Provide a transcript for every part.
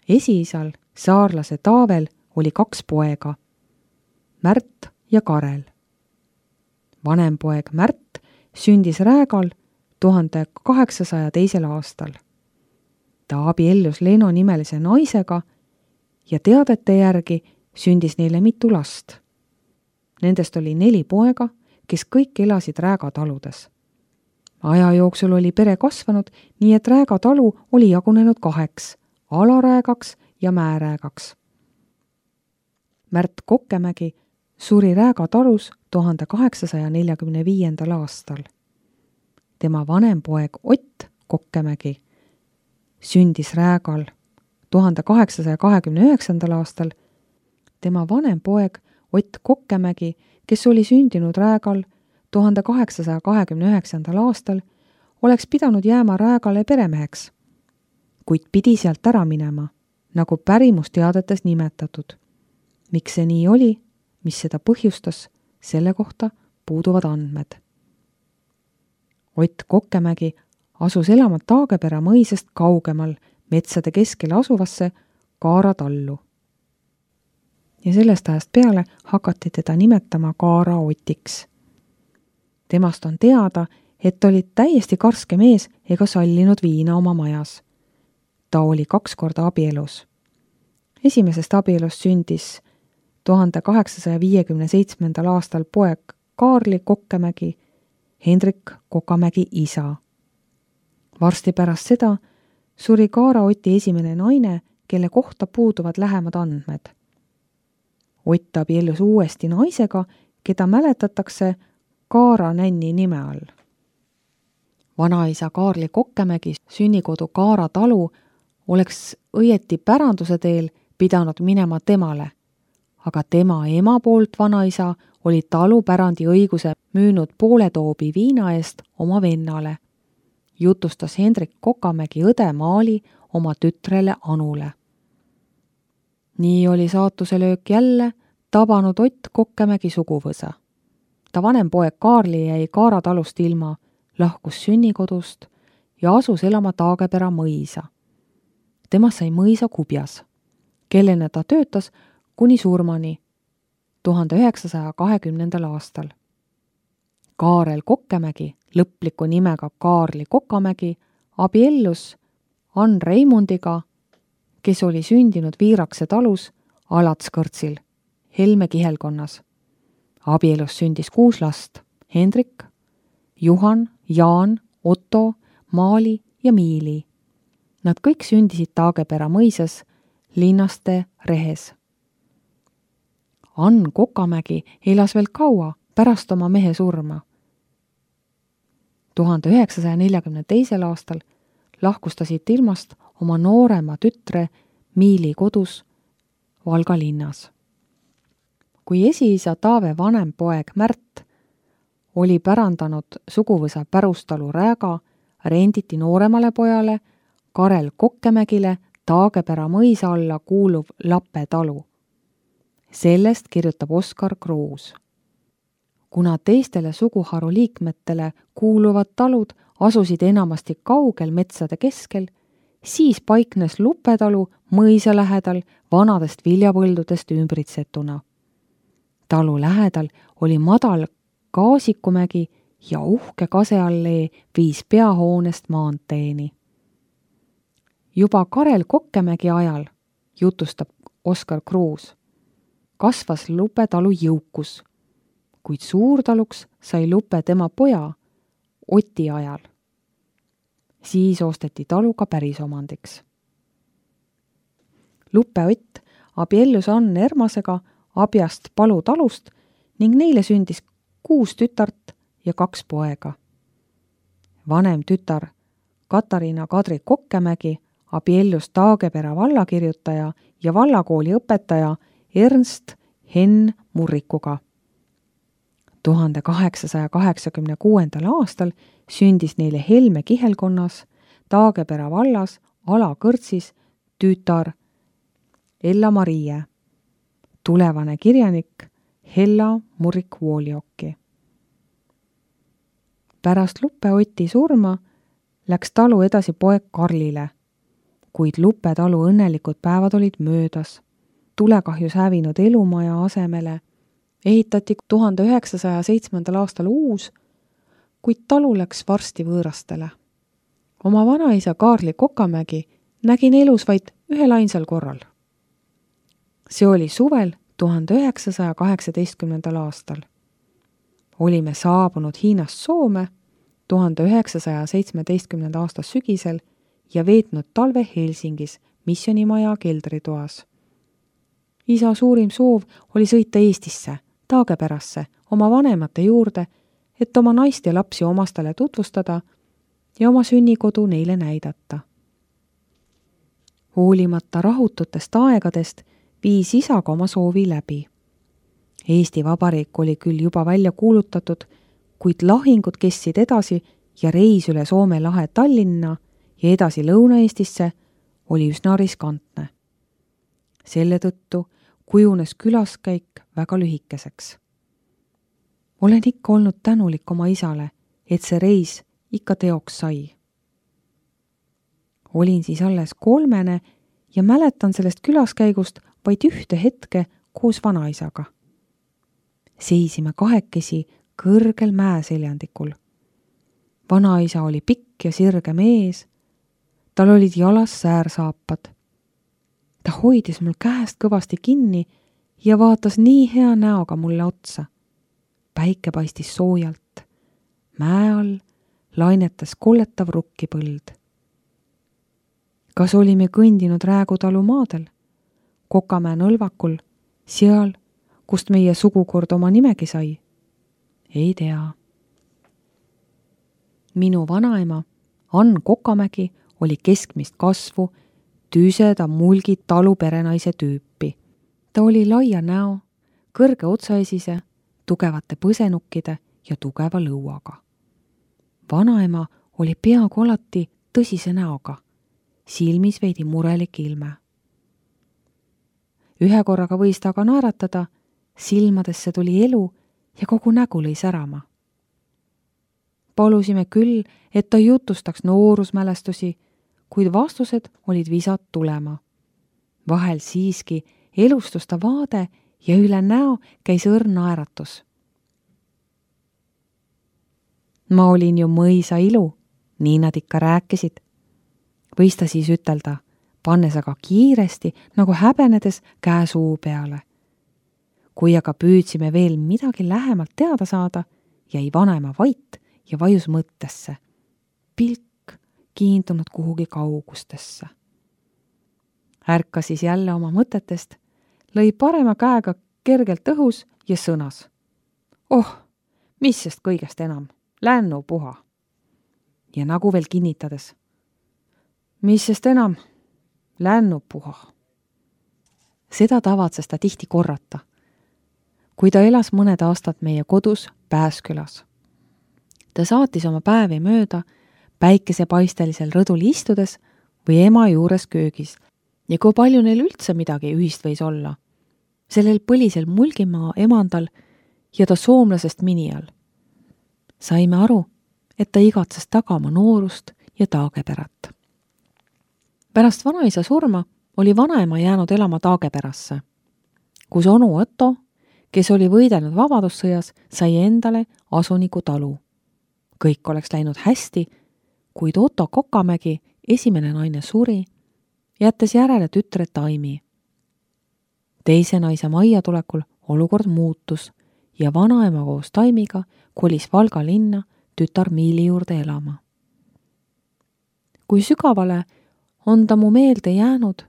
Esiisal, saarlase Taavel, oli 2 poega, Märt ja Karel. Vanem poeg Märt sündis Räägal 1802. aastal. Ta abiellus Leeno nimelise naisega ja teadete järgi sündis neile mitu last. Nendest oli 4 poega, kes kõik elasid Rääga taludes. Aja jooksul oli pere kasvanud, nii et Rääga talu oli jagunenud 2, Alaräägaks ja Määräägaks. Märt Kokkemägi suri Rääga talus 1845. aastal. Tema vanem poeg Ott Kokkemägi sündis Räägal 1829. aastal. Tema vanem poeg Ott Kokkemägi, kes oli sündinud Räägal 1829. aastal, oleks pidanud jääma Räägale peremeheks, kuid pidi sealt ära minema, nagu pärimusteadetes nimetatud. Miks see nii oli, mis seda põhjustas, selle kohta puuduvad andmed. Ott Kokkemägi asus elama Taagepera mõisast kaugemal metsade keskel asuvasse Kaara tallu. Ja sellest ajast peale hakati teda nimetama Kaara Otiks. Temast on teada, et oli täiesti karske mees ega sallinud viina oma majas. Ta oli 2 korda abielus. Esimesest abielust sündis 1857. aastal poeg Kaarli Kokkemägi, Hendrik Kokamägi isa. Varsti pärast seda suri Kaara Oti esimene naine, kelle kohta puuduvad lähemad andmed. Ott abiellus uuesti naisega, keda mäletatakse Kaara nänni nime all. Vanaisa Kaarli Kokkemägi sünnikodu Kaara talu oleks õieti päranduse teel pidanud minema temale, aga tema ema poolt vanaisa oli talupärandi õiguse müünud poole toobi viina eest oma vennale, jutustas Hendrik Kokamägi õde Maali oma tütrele Anule. Nii oli saatuse löök jälle tabanud Ott Kokkemägi suguvõsa. Ta vanem poeg Kaarli jäi Kaara talust ilma, lahkus sünnikodust ja asus elama Taagepera mõisa. Temast sai mõisa kubjas, kellena ta töötas kuni surmani 1920. aastal. Kaarel Kokkemägi, lõpliku nimega Kaarli Kokamägi, abiellus Ann Reimundiga, kes oli sündinud Viirakse talus Alatskõrtsil, Helme kihelkonnas. Abielus sündis 6 last: Hendrik, Juhan, Jaan, Otto, Maali ja Miili. Nad kõik sündisid Taagepera mõisas Linnaste rehes. Ann Kokamägi elas veel kaua pärast oma mehe surma. 1942. aastal lahkus ta siit ilmast oma noorema tütre Miili kodus Valga linnas. Kui esiisa Taave vanem poeg Märt oli pärandanud suguvõsa pärustalu Rääga, renditi nooremale pojale Karel Kokkemägile Taagepera mõisa alla kuuluv Lape talu. Sellest kirjutab Oskar Kruus. Kuna teistele suguharu liikmetele kuuluvad talud asusid enamasti kaugel metsade keskel, siis paiknes Lupe talu mõisa lähedal vanadest viljapõldudest ümbritsetuna. Talu lähedal oli madal Kaasikumägi ja uhke kaseallee viis peahoonest maanteeni. Juba Karel Kokkemägi ajal, jutustab Oskar Kruus, kasvas Lupe talu jõukus, kuid suurtaluks sai Lupe tema poja Oti ajal. Siis osteti talu ka pärisomandiks. Lupe Ott abiellus Ann Ermasega Abjast Palu talust ning neile sündis 6 tütart ja 2 poega. Vanem tütar Katariina Kadri Kokkemägi abiellus Taagepera vallakirjutaja ja vallakooli õpetaja Ernst Henn Murrikuga. 1886. aastal sündis neile Helme kihelkonnas Taagepera vallas Alakõrtsis tütar Ella-Marie, tulevane kirjanik Hella Murrik-Vooliokki. Pärast Lupe Oti surma läks talu edasi poeg Karlile, kuid Lupe talu õnnelikud päevad olid möödas. Tulekahjus hävinud elumaja asemele ehitati 1907. aastal uus, kuid talu läks varsti võõrastele. Oma vanaisa Kaarli Kokamägi nägin elus vaid ühel ainsal korral. See oli suvel 1918. aastal. Olime saabunud Hiinast Soome 1917. aasta sügisel ja veetnud talve Helsingis missionimaja keldritoas. Isa suurim soov oli sõita Eestisse, Taagepärasse, oma vanemate juurde, et oma naist ja lapsi omastele tutvustada ja oma sünnikodu neile näidata. Hoolimata rahututest aegadest viis isaga oma soovi läbi. Eesti Vabariik oli küll juba välja kuulutatud, kuid lahingud kestsid edasi ja reis üle Soome lahe Tallinna ja edasi Lõuna-Eestisse oli üsna riskantne. Selle tõttu kujunes külaskäik väga lühikeseks. Olen ikka olnud tänulik oma isale, et see reis ikka teoks sai. Olin siis alles 3 ja mäletan sellest külaskäigust vaid ühte hetke koos vanaisaga. Seisime kahekesi kõrgel mäeseljandikul. Vanaisa oli pikk ja sirge mees, tal olid jalas säärsaapad. Ta hoidis mul käest kõvasti kinni ja vaatas nii hea näoga mulle otsa. Päike paistis soojalt. Mäe all lainetas kolletav rukkipõld. Kas olime kõndinud Räägutalu maadel, Kokamäe nõlvakul, seal, kust meie sugukord oma nimegi sai? Ei tea. Minu vanaema, Ann Kokamägi, oli keskmist kasvu, tüseda mulgi taluperenaise tüüpi. Ta oli laia näo, kõrge otsaesise, tugevate põsenukkide ja tugeva lõuaga. Vanaema oli peaaegu alati tõsise näoga, silmis veidi murelik ilme. Ühe korraga võis ta aga naeratada, silmadesse tuli elu ja kogu nägu lõi särama. Palusime küll, et ta jutustaks noorusmälestusi, kuid vastused olid visad tulema. Vahel siiski elustus ta vaade ja üle näo käis õrn naeratus. Ma olin ju mõisa ilu, nii nad ikka rääkisid. Võis ta siis ütelda, pannes aga kiiresti, nagu häbenedes käe suu peale. Kui aga püüdsime veel midagi lähemalt teada saada, jäi vanaema vait ja vajus mõttesse. Pilk kiindunud kuhugi kaugustesse. Ärka siis jälle oma mõtetest, lõi parema käega kergelt õhus ja sõnas. Oh, mis sest kõigest enam, lännu puha. Ja nagu veel kinnitades. Mis sest enam, lännu puha. Seda tavatses ta tihti korrata, kui ta elas mõned aastad meie kodus Pääskülas. Ta saatis oma päevi mööda päikesepaistelisel rõdul istudes või ema juures köögis ja kui palju neil üldse midagi ühist võis olla. Sellel põlisel Mulgimaa emandal ja ta soomlasest mini all. Saime aru, et ta igatses tagama noorust ja Taagepärat. Pärast vanaisa surma oli vanaema jäänud elama Taagepärasse, kus onu Otto, kes oli võidelnud vabadussõjas, sai endale asuniku talu. Kõik oleks läinud hästi, kuid Otto Kokamägi, esimene naine, suri, jättes järele tütre Taimi. Teise naise majja tulekul olukord muutus ja vanaema koos Taimiga kolis Valga linna tütar Miili juurde elama. Kui sügavale on ta mu meelde jäänud,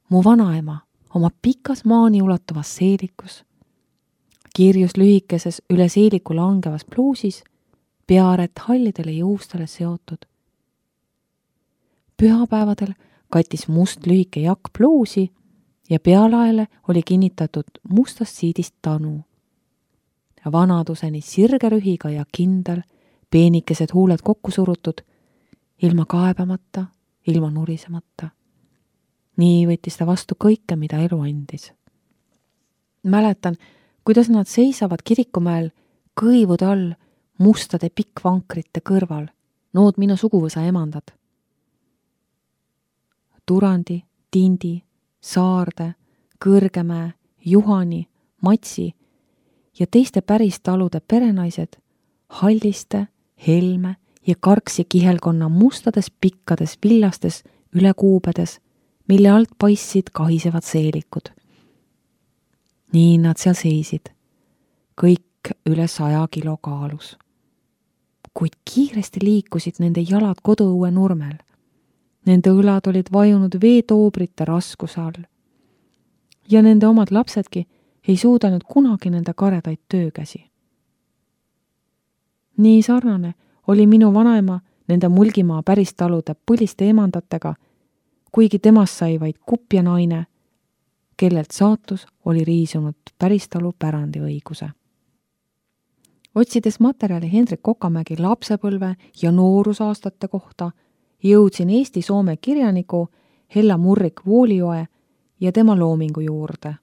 mu vanaema oma pikas maani ulatuvas seelikus, kirjus lühikeses üle seeliku langevas pluusis, peaaret hallidele juustele seotud. Pühapäevadel kattis must lühike jakk pluusi ja pealaele oli kinnitatud mustast siidist tanu. Vanaduseni sirgerühiga ja kindel, peenikesed huuled kokku surutud, ilma kaebamata, ilma nurisemata. Nii võttis ta vastu kõike, mida elu andis. Mäletan, kuidas nad seisavad kirikumäel kõivude all mustade pikkvankrite kõrval, nood minu suguvõsa emandad. Turandi, Tindi, Saarde, Kõrgemäe, Juhani, Matsi ja teiste päristalude perenaised Halliste, Helme ja Karksi kihelkonna mustades pikkades villastes ülekuubedes, mille alt paistsid kahisevad seelikud. Nii nad seal seisid, kõik üle 100 kilo kaalus. Kuid kiiresti liikusid nende jalad koduõue nurmel. Nende õlad olid vajunud veetoobrite raskuse all. Ja nende omad lapsedki ei suudanud kunagi nende karedaid töökäsi. Nii sarnane oli minu vanaema nende Mulgimaa päristalude põliste emandatega, kuigi temast sai vaid kupja naine, kellelt saatus oli riisunud päristalu pärandiõiguse. Otsides materjali Hendrik Kokamägi lapsepõlve ja noorusaastate kohta, jõudsin Eesti-Soome kirjaniku Hella Murrik-Vuolijoe ja tema loomingu juurde,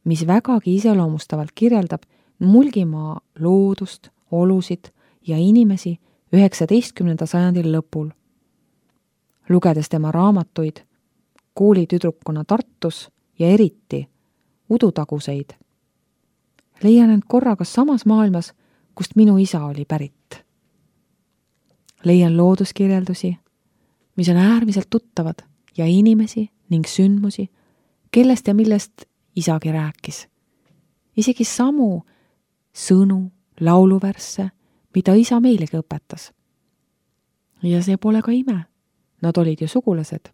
mis vägagi iseloomustavalt kirjeldab Mulgimaa loodust, olusid ja inimesi 19. sajandil lõpul. Lugedes tema raamatuid koolitüdrukuna Tartus ja eriti Udutaguseid, leian end korraga samas maailmas, kust minu isa oli pärit. Leian looduskirjeldusi, mis on äärmiselt tuttavad ja inimesi ning sündmusi, kellest ja millest isagi rääkis. Isegi samu sõnu, lauluvärsse, mida isa meilegi õpetas. Ja see pole ka ime. Nad olid ju sugulased.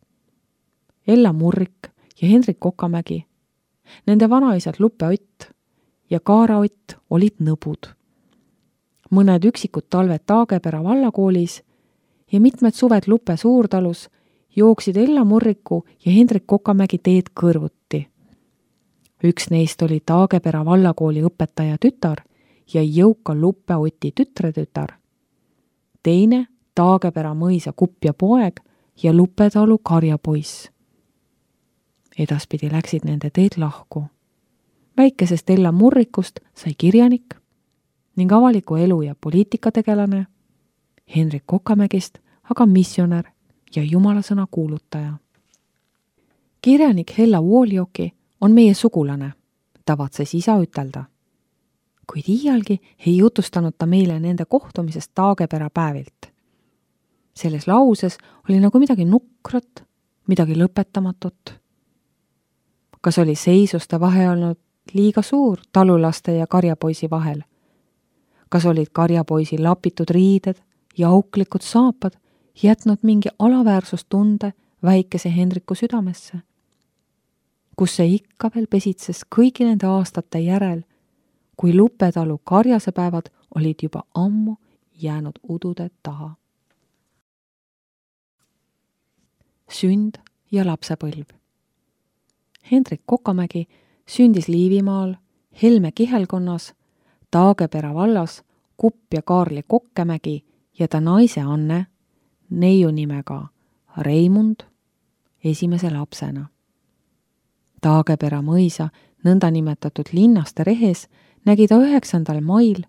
Ella Murrik ja Hendrik Kokamägi, nende vanaisad Luppe Ott ja Kaara Ott olid nõbud. Mõned üksikud talved Taagepera vallakoolis ja mitmed suved Luppe suurtalus jooksid Ella Murriku ja Hendrik Kokamägi teed kõrvuti. Üks neist oli Taagepera vallakooli õpetaja tütar ja jõuka Luppe Oti tütretütar. Teine Taagepera mõisa kupja poeg ja Lupetalu karjapoiss. Edaspidi läksid nende teed lahku. Väikesest Ella Murrikust sai kirjanik ning avaliku elu ja poliitikategelane, Hendrik Kokamägist aga missionär ja jumalasõna kuulutaja. Kirjanik Hella Vuolijoki on meie sugulane, tavatses isa ütelda. Kuid iialgi ei jutustanud ta meile nende kohtumisest Taagepera päevilt. Selles lauses oli nagu midagi nukrat, midagi lõpetamatut. Kas oli seisuste vahe olnud liiga suur talulaste ja karjapoisi vahel? Kas olid karjapoisi lapitud riided ja auklikud saapad jätnud mingi alaväärsustunde väikese Hendriku südamesse? Kus see ikka veel pesitses kõigi nende aastate järel, kui Lupetalu karjasepäevad olid juba ammu jäänud udude taha. Sünd ja lapsepõlv. Hendrik Kokamägi sündis Liivimaal, Helme kihelkonnas, Taagepera vallas Kupja Kaarli Kokkemägi ja ta naise Anne, neiu nimega Reimund, esimese lapsena. Taagepera mõisa nõndanimetatud linnaste rehes nägi ta 9. mail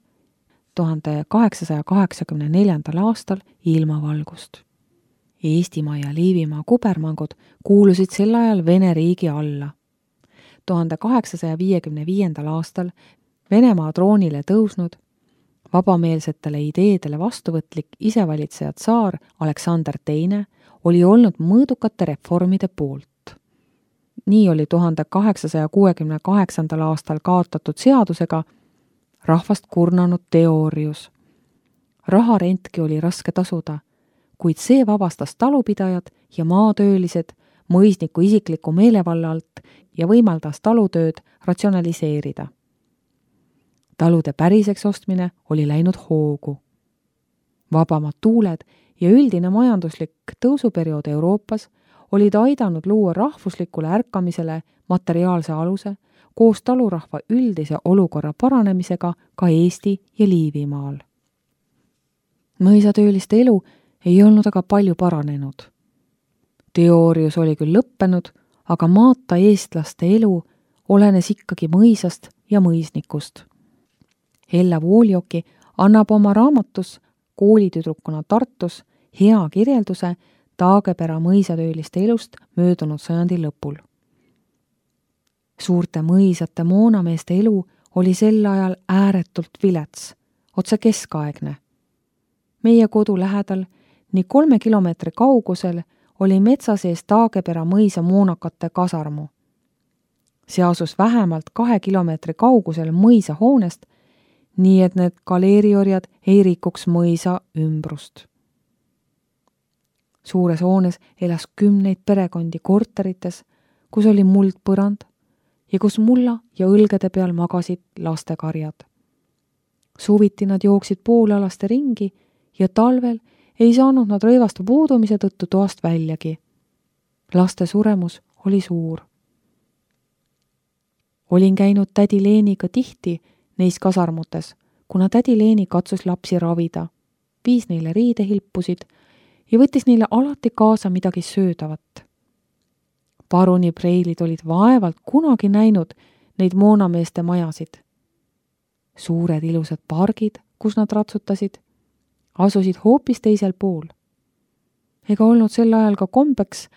1884. aastal ilmavalgust. Eestimaa ja Liivimaa kubermangud kuulusid sel ajal Vene riigi alla. 1855. aastal Venemaa troonile tõusnud, vabameelsetele ideedele vastuvõtlik isevalitseja tsaar Aleksander II oli olnud mõõdukate reformide poolt. Nii oli 1868. aastal kaotatud seadusega rahvast kurnanud Teorius. Raharentki oli raske tasuda, kuid see vabastas talupidajad ja maatöölised mõisniku isikliku meelevalla alt ja võimaldas talutööd ratsionaliseerida. Talude päriseks ostmine oli läinud hoogu. Vabamad tuuled ja üldine majanduslik tõusuperiood Euroopas olid aidanud luua rahvuslikule ärkamisele materiaalse aluse koos talurahva üldise olukorra paranemisega ka Eesti ja Liivimaal. Mõisatööliste elu ei olnud aga palju paranenud. Teorius oli küll lõppenud, aga maata eestlaste elu olenes ikkagi mõisast ja mõisnikust. Hella Vuolijoki annab oma raamatus koolitüdrukuna Tartus hea kirjelduse Taagepera mõisatööliste elust möödunud sajandi lõpul. Suurte mõisate moonameeste elu oli sel ajal ääretult vilets, otse keskaegne. Meie kodu lähedal, nii 3 kilomeetri kaugusel, oli metsa sees Taagepera mõisa moonakate kasarmu. See asus vähemalt 2 kilomeetri kaugusel mõisa hoonest, nii et need galeeriorjad ei rikuks mõisa ümbrust. Suures hoones elas 10 perekondi korterites, kus oli muldpõrand ja kus mulla ja õlgede peal magasid lastekarjad. Suviti nad jooksid poolalaste ringi ja talvel ei saanud nad rõivaste puudumise tõttu toast väljagi. Laste suremus oli suur. Olin käinud tädi Leeniga tihti neis kasarmutes, kuna tädi Leeni katsus lapsi ravida, viis neile riidehilpusid ja võttis neile alati kaasa midagi söödavat. Paruni preilid olid vaevalt kunagi näinud neid moonameeste majasid. Suured ilusad pargid, kus nad ratsutasid, asusid hoopis teisel pool. Ega olnud sel ajal ka kombeks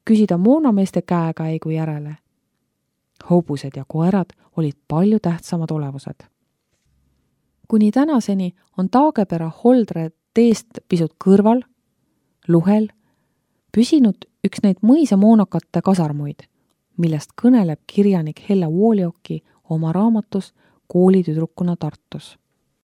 küsida moonameeste käekäigu järele. Hobused ja koerad olid palju tähtsamad olevused. Kuni tänaseni on Taagepera Holdre teest pisut kõrval, Luhel, püsinud üks neid mõisamoonakate kasarmuid, millest kõneleb kirjanik Hella Woolioki oma raamatus Koolitüdrukuna Tartus.